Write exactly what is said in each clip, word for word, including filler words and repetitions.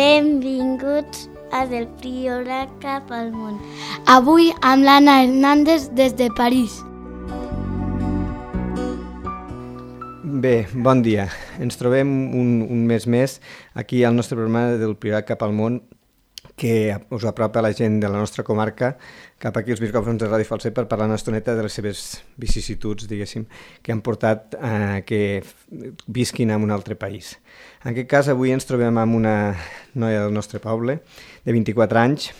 Benvinguts a Del Priorat cap al món. Avui amb l'Anna Hernández des de París. Bé, bon dia. Ens trobem un, un mes més aquí al nostre programa Del Priorat cap al món, que us apropa la gent de la nostra comarca cap aquí als micròfons de Ràdio Falset per parlar una estoneta de les seves vicissituds, diguéssim, que han portat a que visquin en un altre país. En aquest cas, avui ens trobem amb una noia del nostre poble, de vint-i-quatre anys,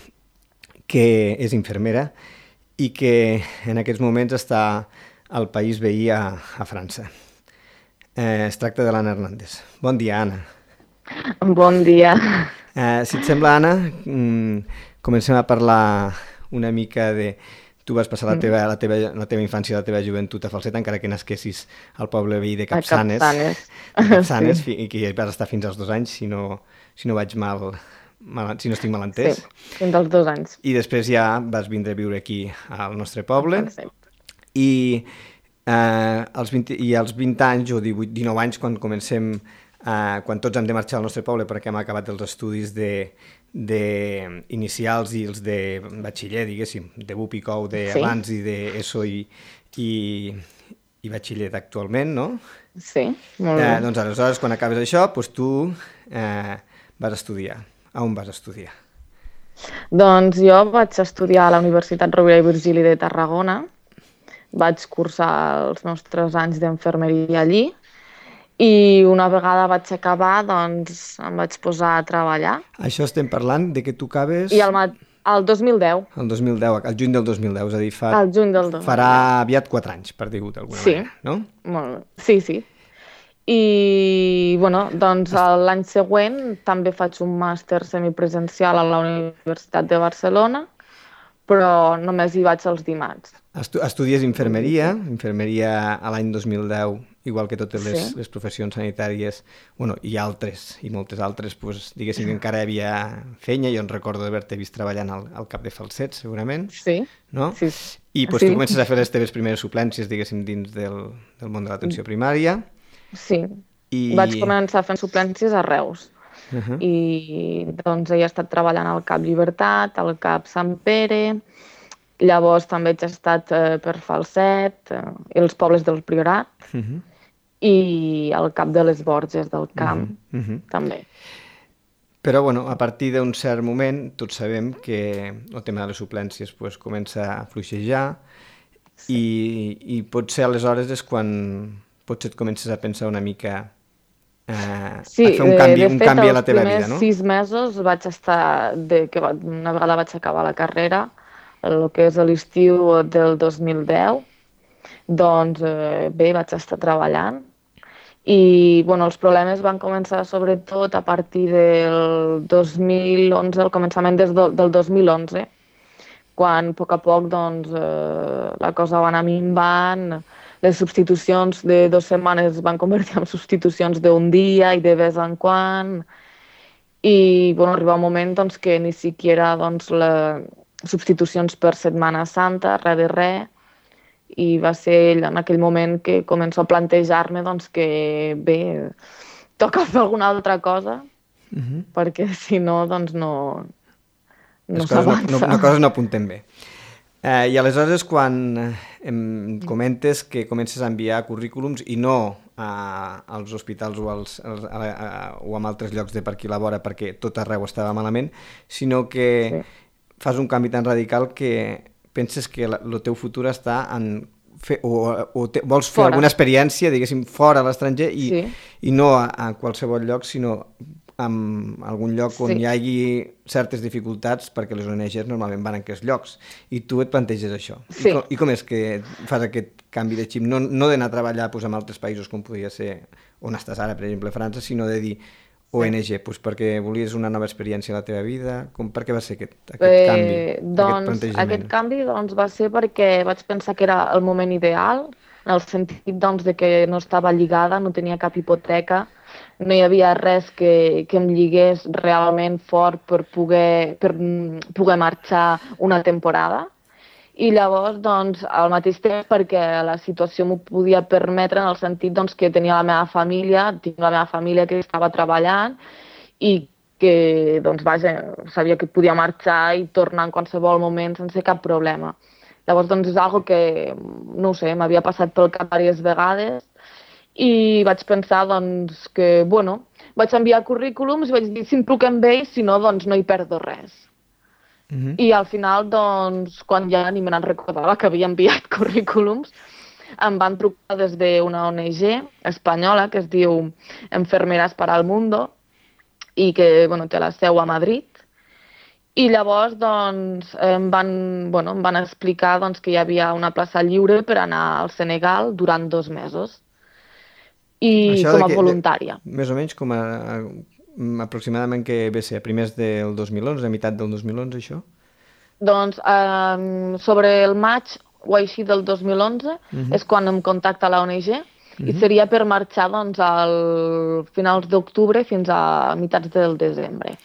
que és infermera i que en aquests moments està al país veí a, a França. Eh, es tracta de l'Anna Hernández. Bon dia, Anna. Bon dia. Eh, si et sembla, Anna, comencem a parlar una mica de... Tu vas passar la teva, la teva, la teva infància i la teva joventut a Falset, encara que nasquessis al poble veí de Capçanes. Capçanes. Capçanes, sí. I que vas estar fins als dos anys, si no, si no vaig mal, mal, si no estic mal entès. Sí, fins als dos anys. I després ja vas vindre a viure aquí al nostre poble. Sí. I, eh, als vint, i als vint anys o divuit, dinou anys, quan comencem, eh, quan tots hem de marxar al nostre poble perquè hem acabat els estudis de... de inicials i els de batxiller, diguéssim, de B U P i C O U d'abans sí. I d'ESO i, i, i batxiller actualment, no? Sí, molt bé. Eh, doncs aleshores, quan acabes això, doncs tu eh, vas estudiar. A on vas estudiar? Doncs jo vaig estudiar a la Universitat Rovira i Virgili de Tarragona, vaig cursar els nostres anys d'infermeria allí, i una vegada vaig acabar, doncs em vaig posar a treballar. Això estem parlant de que tu acabes... I el, el dos mil deu. El dos mil deu, el juny del dos mil deu, és a dir, fa... El juny del dos mil deu. Farà aviat quatre anys, per dir-ho d'alguna sí. manera, no? Molt bé. Sí, sí. I, bueno, doncs l'any següent també faig un màster semipresencial a la Universitat de Barcelona, però només hi vaig els dimarts. Estu estudies infermeria, infermeria a l'any dos mil deu, igual que totes les, sí. les professions sanitàries, bueno, i altres, i moltes altres, pues, diguéssim que encara hi havia feina, jo en recordo d'haver-te vist treballant al, al cap de Falset, segurament, sí. no? Sí. I pues, sí. tu comences a fer les teves primeres suplències, diguéssim, dins del, del món de l'atenció primària. Sí, I... vaig començar fent suplències a Reus. Uh -huh. I doncs he estat treballant al Cap Llibertat, al Cap Sant Pere, llavors també he estat eh, per Falset, eh, els pobles del Priorat, uh -huh. i al Cap de les Borges del Camp, uh -huh. Uh -huh. també. Però, bueno, a partir d'un cert moment, tots sabem que el tema de les suplències pues, comença a fluixejar sí. i, i potser aleshores és quan potser et comences a pensar una mica... Uh, sí, a fer un canvi, de fet, un canvi a la teva vida, no? els primers sis mesos vaig estar, de, que una vegada vaig acabar la carrera, el que és l'estiu del dos mil deu, doncs eh, bé, vaig estar treballant i bueno, els problemes van començar sobretot a partir del dos mil onze, al començament des do, del dos mil onze, quan a poc a poc doncs, eh, la cosa va anar minvant, les substitucions de dues setmanes es van convertir en substitucions d'un dia i de vez en quan. I bueno, arriba un moment doncs, que ni siquiera doncs, les substitucions per Setmana Santa, res de res. I va ser en aquell moment que començo a plantejar-me doncs, que bé, toca fer alguna altra cosa, uh-huh. perquè si no, doncs no, no s'avança. No, no, no, coses no apunten bé. Eh, I aleshores, quan em comentes que comences a enviar currículums i no a, als hospitals o, als, als, a, a, o a altres llocs de per aquí a la vora perquè tot arreu estava malament, sinó que sí. fas un canvi tan radical que penses que el teu futur està en... Fer, o o te, vols fer fora. Alguna experiència, diguéssim, fora a l'estranger i, sí. i no a, a qualsevol lloc, sinó en algun lloc on sí. hi hagi certes dificultats, perquè les O N Ges normalment van en aquests llocs, i tu et planteges això. Sí. I, com, I com és que fas aquest canvi de xip? No, no d'anar a treballar pues, en altres països, com podria ser on estàs ara, per exemple, França, sinó de dir O N G, pues, perquè volies una nova experiència a la teva vida? Com, per què va ser aquest, aquest eh, canvi, doncs, aquest plantejament? Aquest canvi doncs, va ser perquè vaig pensar que era el moment ideal, en el sentit doncs, de que no estava lligada, no tenia cap hipoteca, no hi havia res que, que em lligués realment fort per poder, per poder marxar una temporada. I llavors, doncs, al mateix temps, perquè la situació m'ho podia permetre en el sentit doncs, que tenia la meva família, tinc la meva família que estava treballant i que doncs, vaja, sabia que podia marxar i tornar en qualsevol moment sense cap problema. Llavors, doncs, és algo que, no ho sé, m'havia passat pel cap diverses vegades i vaig pensar, doncs, que, bueno, vaig enviar currículums i vaig dir, si em truquen bé, si no, doncs no hi perdo res. Uh-huh. I al final, doncs, quan ja ni me n'en recordava que havia enviat currículums, em van trucar des d'una O N G espanyola que es diu Enfermeras para el Mundo i que, bueno, té la seu a Madrid. I llavors, doncs, em van, bueno, em van explicar doncs, que hi havia una plaça lliure per anar al Senegal durant dos mesos. I Això com a que, voluntària. De, més o menys com a, a aproximadament que ve ser a primers del dos mil onze, a meitat del dos mil onze, això? Doncs eh, sobre el maig o així del dos mil onze uh-huh. és quan em contacta la O N G uh-huh. i seria per marxar doncs, al finals d'octubre fins a meitats del desembre.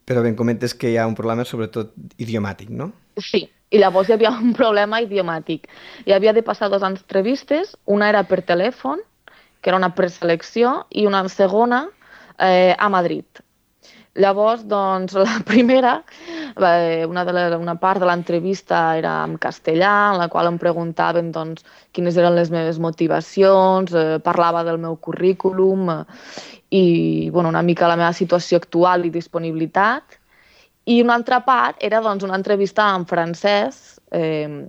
Però bé, comentes que hi ha un problema sobretot idiomàtic, no? Sí, i llavors hi havia un problema idiomàtic. Hi havia de passar dues entrevistes, una era per telèfon, que era una preselecció, i una segona eh, a Madrid. Llavors, doncs, la primera, eh, una, de la, una part de l'entrevista era en castellà, en la qual em preguntaven doncs, quines eren les meves motivacions, eh, parlava del meu currículum eh, i bueno, una mica la meva situació actual i disponibilitat. I una altra part era doncs, una entrevista en francès, eh,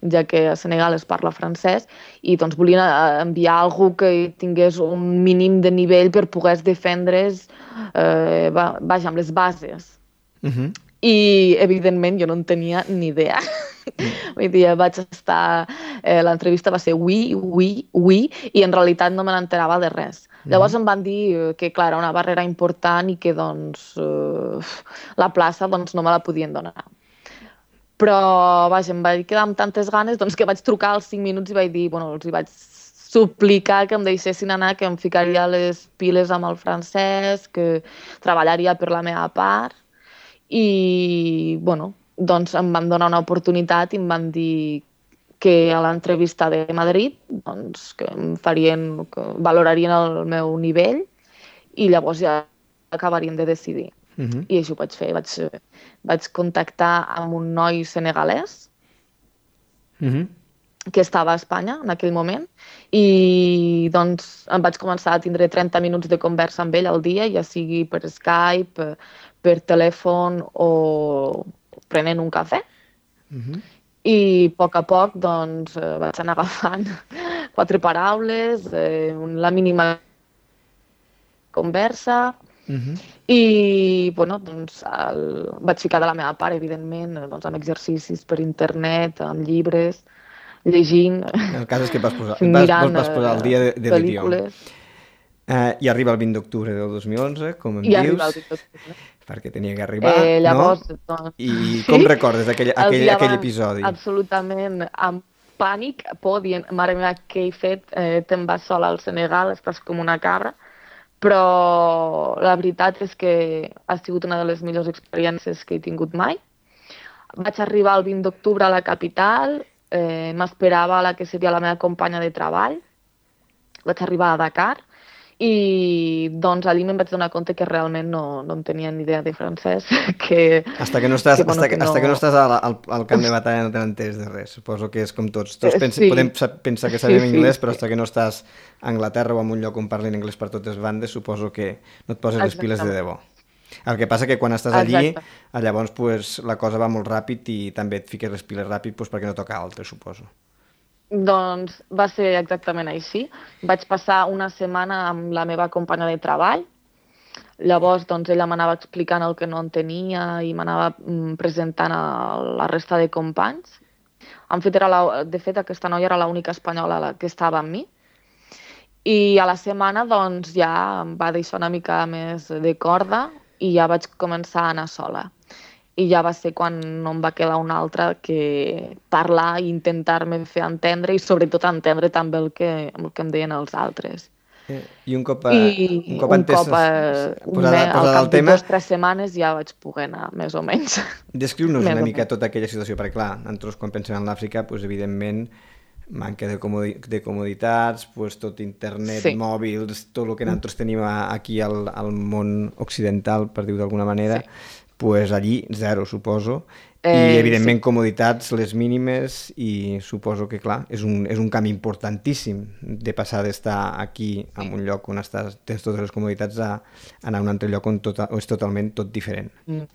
ja que a Senegal es parla francès, i doncs, volien enviar algú que tingués un mínim de nivell per poder defendre's eh, vaja, amb les bases. Uh-huh. I, evidentment, jo no en tenia ni idea. Uh-huh. Vull dir, vaig estar... Eh, l'entrevista va ser oui, oui, oui, i en realitat no me n'enterava de res. Uh-huh. Llavors em van dir que, clar, era una barrera important i que, doncs, eh, la plaça doncs, no me la podien donar. Però, vaja, em vaig quedar amb tantes ganes doncs, que vaig trucar als cinc minuts i vaig dir, bueno, els hi vaig suplicar que em deixessin anar, que em ficaria les piles amb el francès, que treballaria per la meva part. I, bueno, doncs em van donar una oportunitat i em van dir que a l'entrevista de Madrid doncs, que em farien, que valorarien el meu nivell i llavors ja acabarien de decidir. Uh-huh. I això ho vaig fer. Vaig, vaig contactar amb un noi senegalès uh-huh. que estava a Espanya en aquell moment i doncs em vaig començar a tindre trenta minuts de conversa amb ell al dia, ja sigui per Skype, per telèfon o prenent un cafè. Uh-huh. I a poc a poc doncs, vaig anar agafant quatre paraules, eh, la mínima conversa. Uh-huh. I bueno, doncs, el... vaig ficar de la meva part, evidentment, doncs, amb exercicis per internet, amb llibres, llegint, el cas és que vas posar, mirant vas, vas posar el dia de, de l'idioma. Uh, I arriba el vint d'octubre del dos mil onze, com em I dius, el vint d'octubre. Perquè tenia que arribar, eh, llavors, no? Doncs... I com recordes aquell, aquell, aquell episodi? Absolutament, amb pànic, por, dient, mare meva, què he fet? Eh, te'n vas sola al Senegal, estàs com una cabra. Però la veritat és que ha sigut una de les millors experiències que he tingut mai. Vaig arribar el vint d'octubre a la capital, eh, m'esperava la que seria la meva companya de treball. Vaig arribar a Dakar i doncs allí me'n vaig donar compte que realment no, no en tenia ni idea de francès. Que, hasta que no estàs, que, bueno, hasta que, que no... hasta que no estàs al, al, al camp de batalla no te n'entens de res. Suposo que és com tots. Tots pensa, sí. Podem pensar que sabem sí, sí, anglès, però hasta que no estàs a Anglaterra o en un lloc on parlin anglès per totes bandes, suposo que no et poses les piles de debò. El que passa que quan estàs allí, Exacte. llavors pues, la cosa va molt ràpid i també et fiques les piles ràpid pues, perquè no toca altre, suposo. Doncs va ser exactament així. Vaig passar una setmana amb la meva companya de treball. Llavors, doncs, ella m'anava explicant el que no entenia i m'anava presentant a la resta de companys. En fet, era la, de fet, aquesta noia era l'única espanyola que estava amb mi. I a la setmana, doncs, ja em va deixar una mica més de corda i ja vaig començar a anar sola. I ja va ser quan no em va quedar una altra que parlar i intentar-me fer entendre i sobretot entendre també el que, el que em deien els altres. I un cop, a, I un cop, un cop a, posada, al posada cap de tema... dues o tres setmanes ja vaig poder anar, més o menys. Descriu-nos una mica tota aquella situació, perquè clar, nosaltres quan pensem en l'Àfrica, doncs, evidentment, manca de, comodi de comoditats, pues, tot internet, sí. mòbils, tot el que nosaltres tenim aquí al, al món occidental, per dir-ho d'alguna manera, sí. pues allí zero, suposo. I, eh, evidentment, sí. comoditats les mínimes i suposo que, clar, és un, és un canvi importantíssim de passar d'estar aquí en un lloc on estàs, tens totes les comoditats a anar a un altre lloc on tot, és totalment tot diferent. Mm.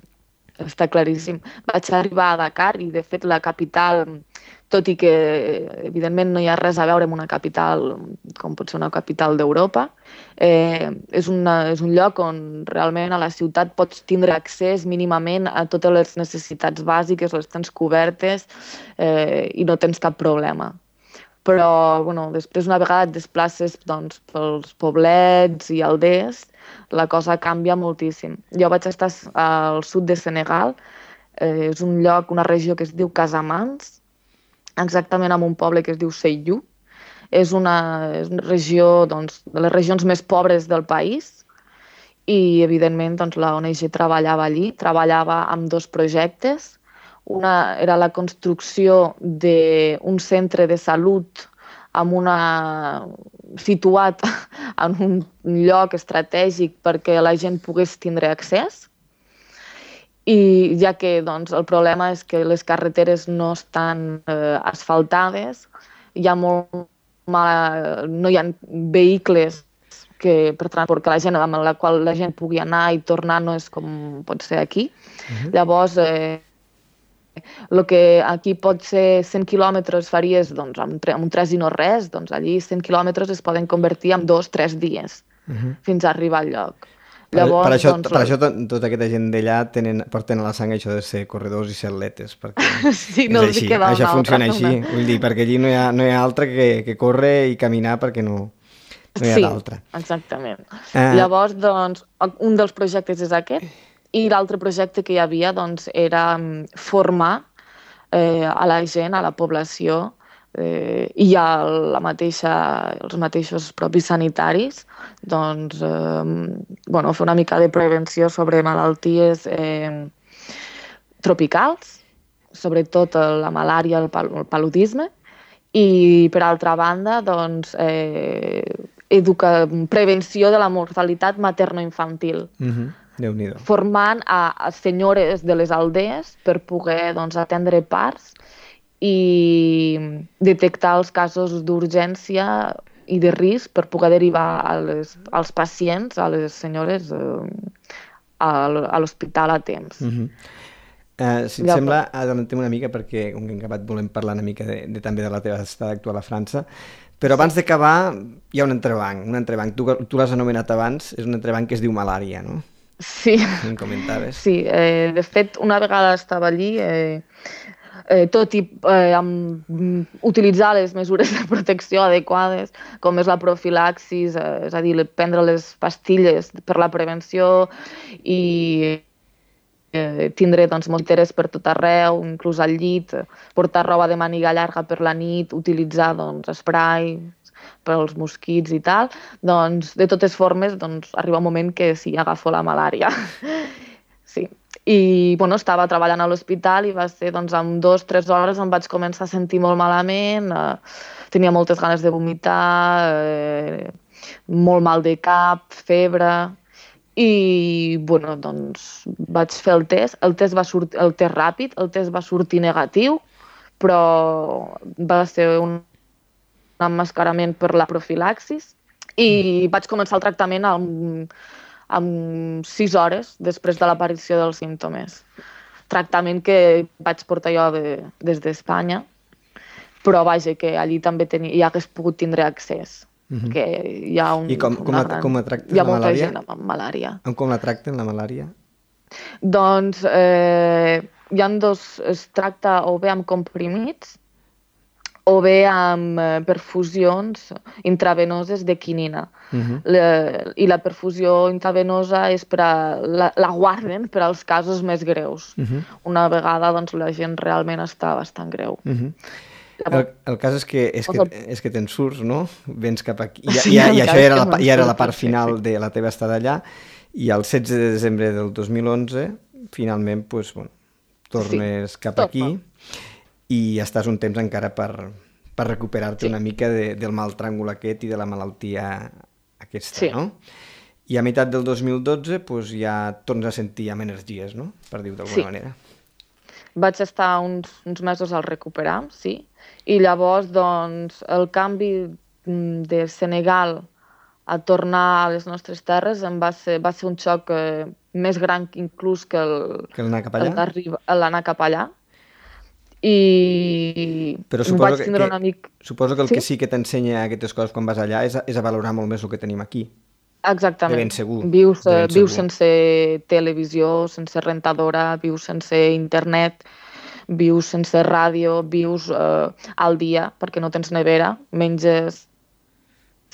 Està claríssim. Vaig arribar a Dakar i, de fet, la capital, tot i que, evidentment, no hi ha res a veure amb una capital com pot ser una capital d'Europa, eh, és, una, és un lloc on realment a la ciutat pots tindre accés mínimament a totes les necessitats bàsiques, les tens cobertes eh, i no tens cap problema. Però, bueno, després, una vegada et desplaces doncs, pels poblets i aldees, la cosa canvia moltíssim. Jo vaig estar al sud de Senegal, eh, és un lloc, una regió que es diu Casamance, exactament en un poble que es diu Seyou. És una, és una regió, doncs, de les regions més pobres del país i, evidentment, doncs, la O N G treballava allí, treballava amb dos projectes. Una era la construcció d'un centre de salut amb una... situat en un lloc estratègic perquè la gent pogués tindre accés. I ja que doncs, el problema és que les carreteres no estan eh, asfaltades, hi ha molt mala... no hi ha vehicles que, per transport que la gent, amb la qual la gent pugui anar i tornar no és com pot ser aquí. Uh-huh. Llavors, eh, el que aquí pot ser cent quilòmetres faries doncs, amb, amb un tres i no res, doncs allí cent quilòmetres es poden convertir en dos, tres dies, uh-huh. fins a arribar al lloc. Llavors, per, per això, doncs, per això tot, tota aquesta gent d'allà porten a la sang això de ser corredors i ser atletes, perquè sí, no és així, això funciona altra, així, no? Vull dir, perquè allí no hi ha, no hi ha altre que, que córrer i caminar perquè no, no hi ha sí, d'altre. Exactament. Uh... Llavors, doncs, un dels projectes és aquest, i l'altre projecte que hi havia doncs, era formar eh, a la gent, a la població, eh, i a la mateixa, els mateixos propis sanitaris, doncs, eh, bueno, fer una mica de prevenció sobre malalties eh, tropicals, sobretot la malària, el, pal el paludisme, i per altra banda, doncs, eh, educa prevenció de la mortalitat materno-infantil. Mm-hmm. Déu-n'hi-do. Formant a, a senyores de les aldees per poder doncs, atendre parts i detectar els casos d'urgència i de risc per poder derivar a les, als pacients, a les senyores, eh, a, a l'hospital a temps. Mm-hmm. uh, si et ja, sembla, adelantem una mica perquè, com que hem acabat, volem parlar una mica de, de, també de la teva estada actual a França, però abans d'acabar hi ha un entrebanc, un entrebanc. Tu, tu l'has anomenat abans, és un entrebanc que es diu malària, no? Sí, em comentaves. Sí, eh, de fet, una vegada estava allí, eh, eh, tot i eh, amb, utilitzar les mesures de protecció adequades, com és la profilaxis, eh, és a dir, prendre les pastilles per la prevenció i eh, tindre doncs, mosquiteres per tot arreu, inclús al llit, portar roba de màniga llarga per la nit, utilitzar doncs, spray per als mosquits i tal, doncs, de totes formes, doncs, arriba un moment que sí, agafo la malària. Sí. I, bueno, estava treballant a l'hospital i va ser, doncs, en dues o tres hores em vaig començar a sentir molt malament, eh, tenia moltes ganes de vomitar, eh, molt mal de cap, febre, i, bueno, doncs, vaig fer el test, el test va sortir, el test ràpid, el test va sortir negatiu, però va ser un emmascarament per la profilaxis i vaig començar el tractament amb, amb sis hores després de l'aparició dels símptomes. Tractament que vaig portar jo de, des d'Espanya, però vaja, que allí també tenia, hi hagués pogut tindre accés. Mm-hmm. Que hi ha un, I com, com, a, gran, com a tracten hi ha la molta malària? gent amb malària. Com la tracten, la malària? Doncs eh, hi ha dos, es tracta o bé amb comprimits o bé amb eh, perfusions intravenoses de quinina. Uh-huh. Le, I la perfusió intravenosa és per a, la, la guarden per als casos més greus. Uh-huh. Una vegada doncs, la gent realment està bastant greu. Uh-huh. El, el cas és que, és, que, és que te'n surts, no? Vens cap aquí. I, sí, i, i això era la, ja era la part final de la teva estada allà. I el setze de desembre del dos mil onze, finalment, pues, bueno, tornes sí, cap aquí. I estàs un temps encara per, per recuperar-te Sí. una mica de, del mal tràngol aquest i de la malaltia aquesta, Sí. no? I a meitat del dos mil dotze pues, ja tornes a sentir amb energies, no? Per dir-ho d'alguna Sí. manera. Vaig estar uns, uns mesos al recuperar, sí, i llavors doncs, el canvi mm, de Senegal a tornar a les nostres terres em va ser, va ser un xoc eh, més gran que inclús que el, Que l'anar cap el allà? d'arribar- l'anar cap allà. I Però suposo vaig que, tindre que, un amic... suposo que el Sí? que sí que t'ensenya aquestes coses quan vas allà és a, és a valorar molt més el que tenim aquí. Exactament. De ben segur, Vius, de ben eh, vius segur. sense televisió, sense rentadora, vius sense internet, vius sense ràdio, vius eh, al dia, perquè no tens nevera, menges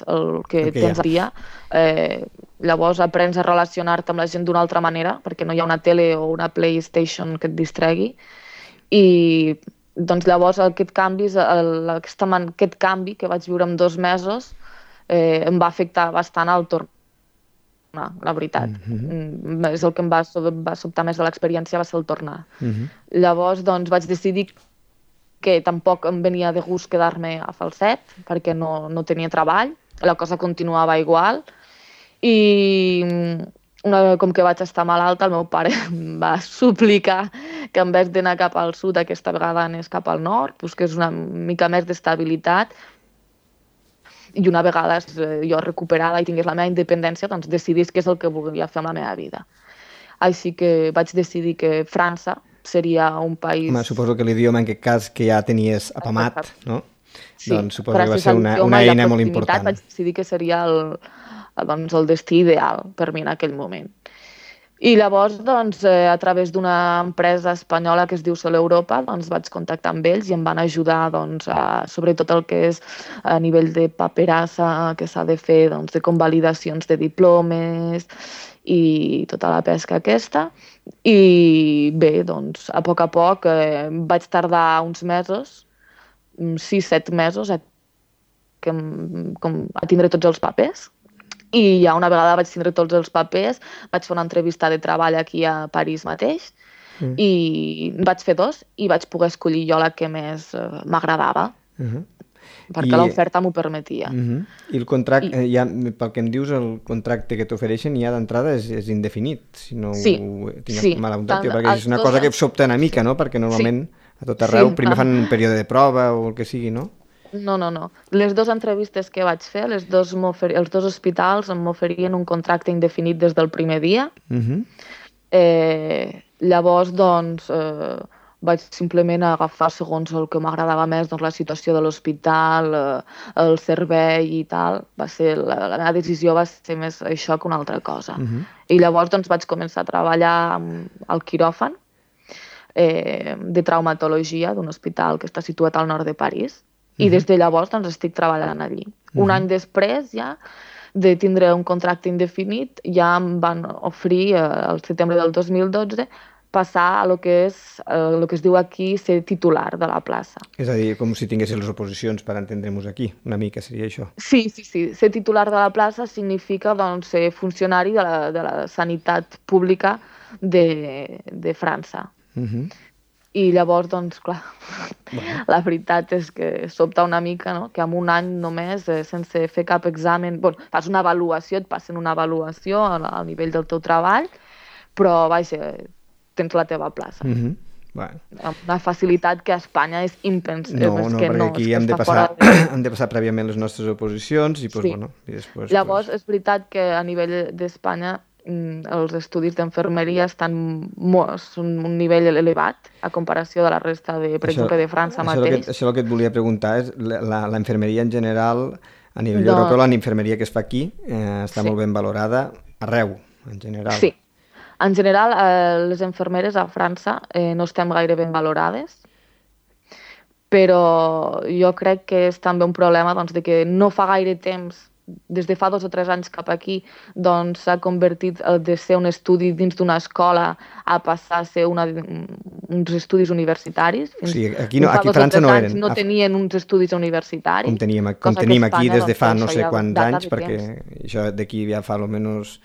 el que El que hi tens ha. al dia. Eh, llavors aprens a relacionar-te amb la gent d'una altra manera, perquè no hi ha una tele o una PlayStation que et distregui. I doncs llavors aquest canvi, el, aquesta man, aquest canvi que vaig viure en dos mesos eh, em va afectar bastant al tornar, la veritat. Mm-hmm. És el que em va, sob- va sobtar més de l'experiència, va ser el tornar. Uh-huh. Llavors doncs vaig decidir que tampoc em venia de gust quedar-me a Falset, perquè no, no tenia treball, la cosa continuava igual, i una, com que vaig estar malalta, el meu pare em va suplicar que en vez d'anar cap al sud, aquesta vegada anés cap al nord, busqués una mica més d'estabilitat, i una vegada eh, jo recuperada i tingués la meva independència, doncs decidís què és el que volia fer amb la meva vida. Així que vaig decidir que França seria un país... Home, suposo que l'idioma en aquest cas que ja tenies apamat, Exacte. no? Sí, Doncs suposo que va gràcies ser a una, l'idioma una i la eina molt proximitat important. vaig decidir que seria el, doncs, el destí ideal per mi en aquell moment. I llavors, doncs, eh, a través d'una empresa espanyola que es diu Sol Europa, doncs, vaig contactar amb ells i em van ajudar doncs, a, sobretot el que és a nivell de paperassa que s'ha de fer, doncs, de convalidacions de diplomes i tota la pesca aquesta. I bé, doncs, a poc a poc eh, vaig tardar uns mesos, sis, set mesos, a, que, em- com, a tindre tots els papers. I ja una vegada vaig tindre tots els papers, vaig fer una entrevista de treball aquí a París mateix, Mm. i vaig fer dos i vaig poder escollir jo la que més eh, m'agradava, Uh-huh. perquè I- l'oferta m'ho permetia. Uh-huh. I el contracte, I- eh, ja, pel que em dius, el contracte que t'ofereixen ja d'entrada és, és indefinit, si no Sí, ho tinc sí. mal apuntat, Tant perquè és una els cosa dos- que sobta una mica, no? Perquè normalment a tot arreu Sí. primer fan un període de prova o el que sigui, no? No, no, no. Les dues entrevistes que vaig fer, les dos m'ofer- els dos hospitals em m'oferien un contracte indefinit des del primer dia. Uh-huh. Eh, llavors, doncs, eh, vaig simplement agafar segons el que m'agradava més, doncs, la situació de l'hospital, eh, el servei i tal. Va ser, la, la meva decisió va ser més això que una altra cosa. Uh-huh. I llavors doncs, vaig començar a treballar amb- al quiròfan eh, de traumatologia d'un hospital que està situat al nord de París. I des de llavors doncs, estic treballant allí. Un any després ja de tindre un contracte indefinit, ja em van oferir eh, al setembre del dos mil dotze passar a lo que és eh, lo que es diu aquí ser titular de la plaça. És a dir, com si tinguessis les oposicions per entendre-nos aquí, una mica seria això. Sí, sí, sí. Ser titular de la plaça significa doncs, ser funcionari de la, de la sanitat pública de, de França. Uh-huh. I llavors, doncs, clar, bueno. La veritat és que sobta una mica, no?, que en un any només, eh, sense fer cap examen, bueno, fas una avaluació, et passen una avaluació al, al nivell del teu treball, però, vaja, tens la teva plaça. Uh-huh. Bueno. Amb una facilitat que a Espanya és impensable. No, és no, que perquè no, aquí és que hem de, està passar, fora de... hem de passar prèviament les nostres oposicions i, pues, Sí. bueno, i després... Llavors, pues... és veritat que a nivell d'Espanya mm, els estudis d'enfermeria estan molt, són un nivell elevat a comparació de la resta, de, per Això- exemple, de França això mateix. Que, això el que et volia preguntar és la, la, la infermeria en general, a nivell Doncs- europeu, la infermeria que es fa aquí eh, està Sí. molt ben valorada arreu, en general. Sí. En general, eh, les infermeres a França eh, no estem gaire ben valorades, però jo crec que és també un problema doncs, de que no fa gaire temps, des de fa dos o tres anys cap aquí, doncs s'ha convertit eh, de ser un estudi dins d'una escola a passar a ser una, uns estudis universitaris. O sigui, aquí, no, Fa aquí a dos o França tres no anys eren. No A- tenien uns estudis universitaris. Com teníem, com cosa que tenim aquí Espanya, des de fa doncs, no sé ja quants data anys, de perquè temps. això d'aquí ja fa almenys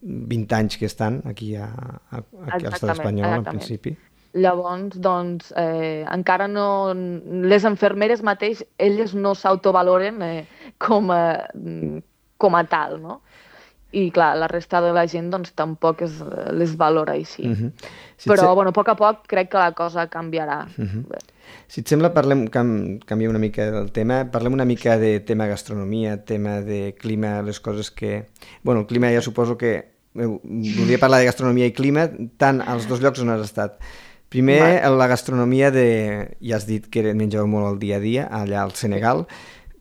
vint anys que estan aquí a, a, aquí a l'estat Exactament, espanyol, en exactament. principi. Llavors, doncs, eh, encara no... Les infermeres mateix, elles no s'autovaloren eh, com, a, com a tal, no? I, clar, la resta de la gent, doncs, tampoc es, les valora així. Uh-huh. Si Però, se... bueno, a poc a poc crec que la cosa canviarà. Uh-huh. Si et sembla, parlem, cam, canviem una mica del tema, parlem una mica de tema gastronomia, tema de clima, les coses que... Bueno, el clima ja suposo que... Voldria parlar de gastronomia i clima, tant als dos llocs on has estat. Primer, vale. La gastronomia de... Ja has dit que menjàveu molt al dia a dia, allà al Senegal,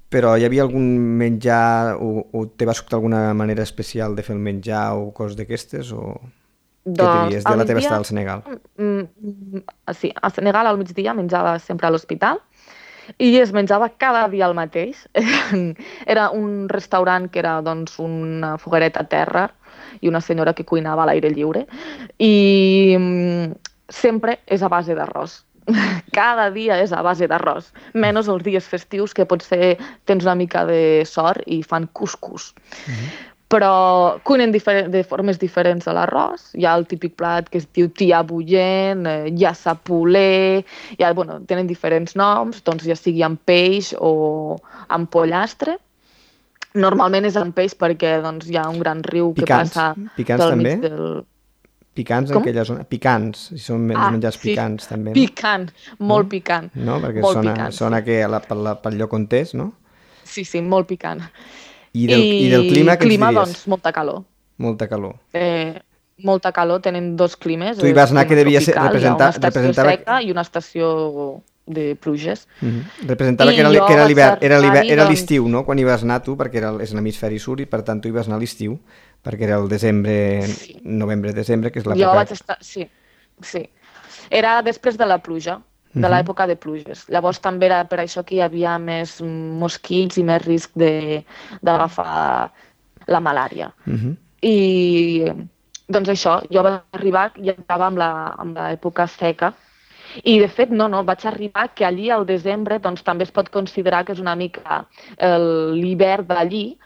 però hi havia algun menjar o, o te va sobtar alguna manera especial de fer el menjar o coses d'aquestes? O doncs, què diries de la teva estada al Senegal? Mm, sí, al Senegal al migdia menjava sempre a l'hospital i es menjava cada dia el mateix. Era un restaurant que era doncs, una foguereta a terra i una senyora que cuinava a l'aire lliure i mm, sempre és a base d'arròs. Cada dia és a base d'arròs, menys els dies festius que potser tens una mica de sort i fan cuscús. Mm-hmm. Però cuinen de formes diferents a l'arròs. Hi ha el típic plat que es diu tia bullent, eh, hi ha sapolé, hi ha, bueno, tenen diferents noms, doncs ja sigui amb peix o amb pollastre. Normalment és amb peix perquè doncs, hi ha un gran riu picants. que passa Picants pel també? mig del... Picants en Com? aquella zona? Picants, si són menys Ah, menjars sí. picants també. No? Picant, molt no? picant. No, perquè molt sona, picant, sona sí. que la, pel, pel lloc on és, no? Sí, sí, molt picant. I del, i, i del clima, què clima, ens diries? doncs, molta calor. Molta calor. Eh, molta calor, tenen dos climes. Tu hi vas anar que devia ser, representar... Hi ha una estació representava... seca i una estació de pluges. Uh-huh. Representava I que era, jo que era vaig l'hivern, era l'hivern, arribar-hi, era doncs- l'estiu, no?, quan hi vas anar tu, perquè era, és l'hemisferi sud i per tant tu hi vas anar a l'estiu, perquè era el desembre, Sí. novembre-desembre, que és Jo l'època... vaig estar... Sí, sí. Era després de la pluja, de Mhm. l'època de pluges. Llavors també era per això que hi havia més mosquits i més risc de- d'agafar la malària. Uh-huh. I doncs això, jo vaig arribar i estava amb la, amb l'època seca i de fet no, no, vaig arribar que allí al desembre doncs, també es pot considerar que és una mica el- l'hivern d'allí,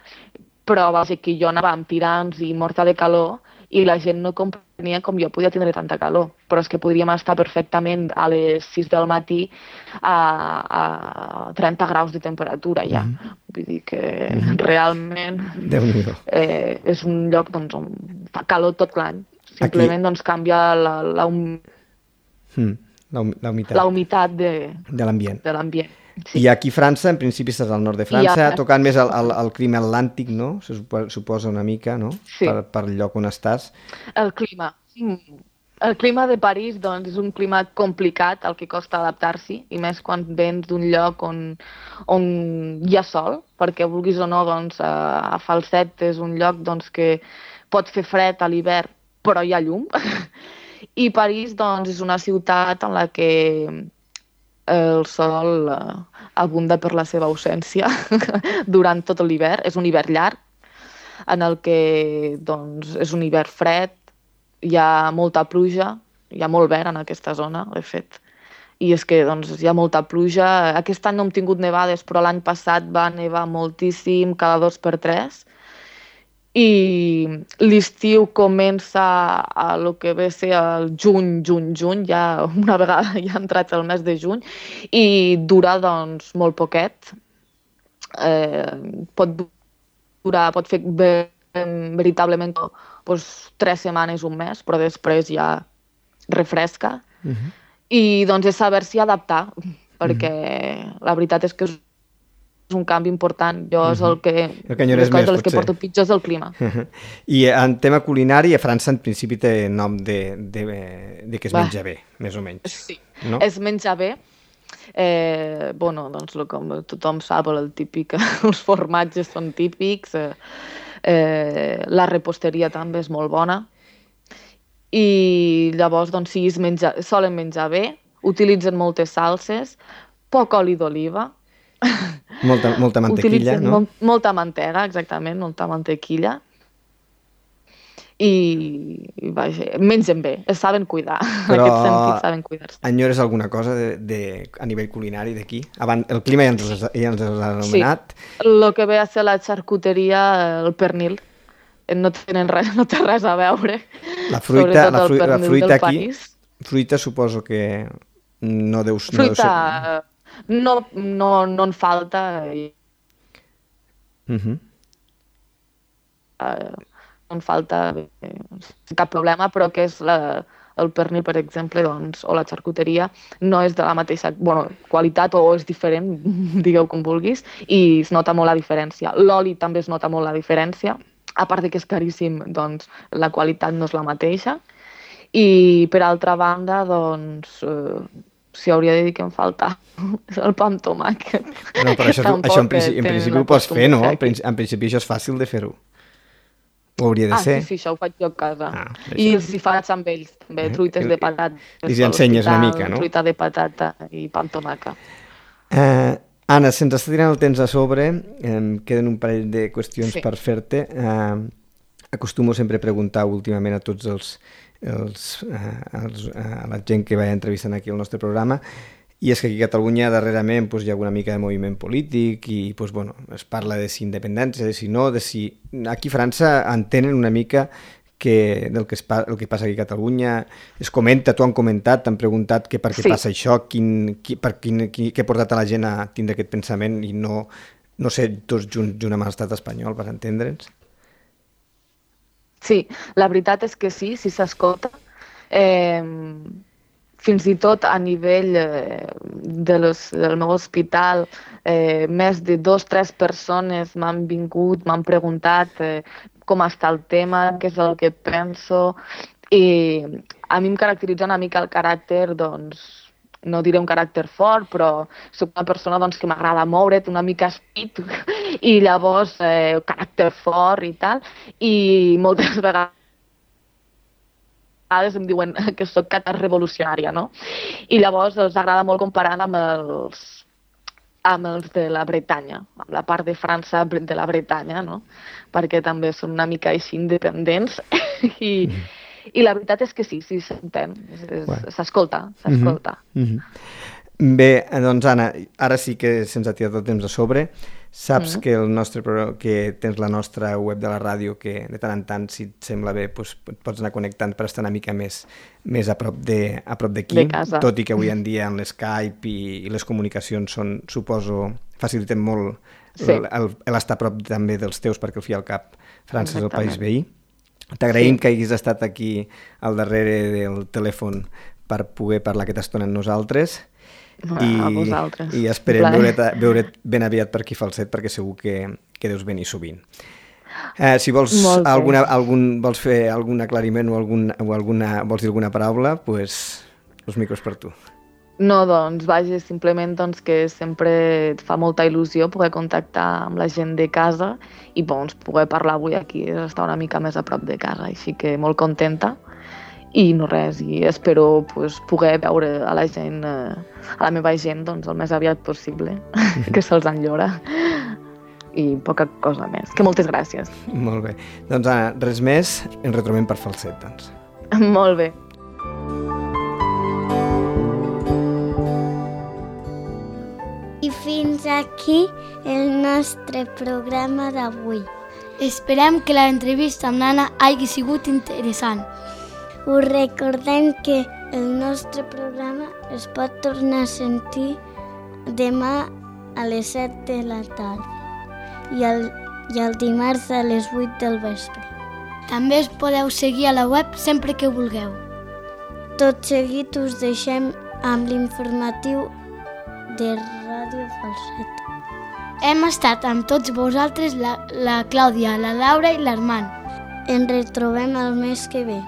però va ser que jo anava amb tirants i morta de calor i la gent no comprenia com jo podia tindre tanta calor. Però és que podríem estar perfectament a les sis del matí a, a trenta graus de temperatura ja. Mm-hmm. Vull dir que mm-hmm. realment Déu-n'hi-do. eh, és un lloc doncs, on fa calor tot l'any. Simplement doncs, canvia la, la, hum, Mm. La, hum- la humitat la humitat de, de l'ambient. de l'ambient. I aquí a França, en principi estàs al nord de França, I a- tocant més el, el, el clima atlàntic, no? Se supo- suposa una mica, no? Sí. Per, per el lloc on estàs. El clima. Mm. El clima de París doncs, és un clima complicat, al que costa adaptar-s'hi, i més quan vens d'un lloc on, on hi ha sol, perquè vulguis o no, doncs, a, a Falset és un lloc doncs, que pot fer fred a l'hivern, però hi ha llum. I París doncs, és una ciutat en la que el sol eh, abunda per la seva ausència durant tot l'hivern. És un hivern llarg, en el que doncs, és un hivern fred, hi ha molta pluja, hi ha molt vent en aquesta zona, de fet, i és que doncs, hi ha molta pluja. Aquest any no hem tingut nevades, però l'any passat va nevar moltíssim, cada dos per tres, i l'estiu comença a lo que ve a ser el juny, juny, juny, ja una vegada ja ha entrat el mes de juny, i dura doncs molt poquet. Eh, pot durar, pot fer veritablement doncs, tres setmanes, un mes, però després ja refresca. Uh-huh. I doncs és saber-s'hi adaptar, perquè uh-huh. la veritat és que és un canvi important. Jo és el que... El que enyores les coses més, de les que potser. porto pitjor és el clima. I en tema culinari, a França en principi té nom de, de, de que es Va. menja bé, més o menys. Sí, No? es menja bé. Eh, bueno, doncs lo, com tothom sap, el típic, els formatges són típics, eh, eh, la reposteria també és molt bona, i llavors doncs, sí, es menja, solen menjar bé, utilitzen moltes salses, poc oli d'oliva, Molta, molta mantequilla, utilitzen no? molt, molta mantega, exactament, molta mantequilla, i, i vaja, mengen bé, es saben cuidar, Però en aquest sentit saben cuidar-se. enyores alguna cosa de, de, a nivell culinari d'aquí? Abans, el clima ja ens, els- ja ens l'has anomenat. Sí, el que ve a ser la xarcuteria, el pernil, no, tenen res, no té res a veure. La fruita, Sobretot la, el fru la pernil fruita del aquí, país. Fruita suposo que no deus... Fruita no, deu ser... no, no, no en falta i... Uh-huh. Uh, no en falta eh, cap problema, però que és la, el pernil, per exemple, doncs, o la xarcuteria, no és de la mateixa bueno, qualitat o és diferent, digueu com vulguis, i es nota molt la diferència. L'oli també es nota molt la diferència, a part de que és caríssim, doncs la qualitat no és la mateixa. I per altra banda, doncs, eh, si hauria de dir que em falta el pa amb tomàquet. No, però això, això en, principi, en principi ho pots fer, no? Aquí. En principi això és fàcil de fer-ho. Ho hauria de ah, ser. Ah, sí, sí, això ho faig jo a casa. Ah, I això. si faig amb ells, també, truites de patata. I si ensenyes una mica, no? Truita de patata i pa amb tomàquet. Uh, Anna, se'ns està tirant el temps a sobre, em queden un parell de qüestions sí. per fer-te. Uh, acostumo sempre a preguntar últimament a tots els, els, uh, els, uh, a la gent que vaig entrevistant aquí al nostre programa, i és que aquí a Catalunya darrerament pues, hi ha una mica de moviment polític i pues, bueno, es parla de si independència, de si no, de si... Aquí a França entenen una mica que del que, es pa... el que passa aquí a Catalunya, es comenta, t'ho han comentat, t'han preguntat que per què sí. passa això, quin, qui, per quin, qui, què ha portat a la gent a tindre aquest pensament i no, no ser tots junts junt amb l'estat espanyol, per entendre'ns? Sí, la veritat és que sí, si s'escolta. Eh... Fins i tot a nivell eh, de los, del meu hospital, eh, més de dos o tres persones m'han vingut, m'han preguntat eh, com està el tema, què és el que penso, i a mi em caracteritza una mica el caràcter, doncs, no diré un caràcter fort, però soc una persona doncs, que m'agrada moure't, una mica speed, i llavors eh, caràcter fort i tal, i moltes vegades em diuen que soc revolucionària, no? I llavors els agrada molt comparar amb els, amb els de la Bretanya, amb la part de França de la Bretanya, no? Perquè també són una mica així independents i, mm. i la veritat és que sí, sí s'entén, s'escolta, s'escolta. Mm-hmm. Mm-hmm. Bé, doncs Anna, ara sí que se'ns ha tirat el temps a sobre. Saps mm. que, el nostre, que tens la nostra web de la ràdio que de tant en tant, si et sembla bé, doncs, pots anar connectant per estar una mica més, més a prop de, a prop d'aquí, de casa. Tot i que avui en dia en l'Skype i, i les comunicacions són, suposo, faciliten molt sí. l'estar a prop també dels teus, perquè al fi al cap França és el país veí. T'agraïm sí. que hagis estat aquí al darrere del telèfon per poder parlar aquesta estona amb nosaltres. I, a vosaltres. I esperem veure't, veure't ben aviat per aquí Falset, perquè segur que, que deus venir sovint. Eh, si vols, alguna, algun, vols fer algun aclariment o, algun, o alguna, vols dir alguna paraula, pues, els micros per tu. No, doncs, vaja, simplement doncs, que sempre et fa molta il·lusió poder contactar amb la gent de casa i doncs, poder parlar avui aquí, estar una mica més a prop de casa, així que molt contenta. I no res, i espero pues, poder veure a la gent, eh, a la meva gent, doncs, el més aviat possible, que se'ls enllora. I poca cosa més. Que moltes gràcies. Molt bé. Doncs Anna, res més, ens retrobem per Falset, doncs. Molt bé. I fins aquí el nostre programa d'avui. Esperem que l'entrevista amb l'Anna hagi sigut interessant. Us recordem que el nostre programa es pot tornar a sentir demà a les set de la tarda i el, i el dimarts a les vuit del vespre. També us podeu seguir a la web sempre que vulgueu. Tot seguit us deixem amb l'informatiu de Ràdio Falset. Hem estat amb tots vosaltres la, la Clàudia, la Laura i l'Armand. Ens retrobem el mes que ve.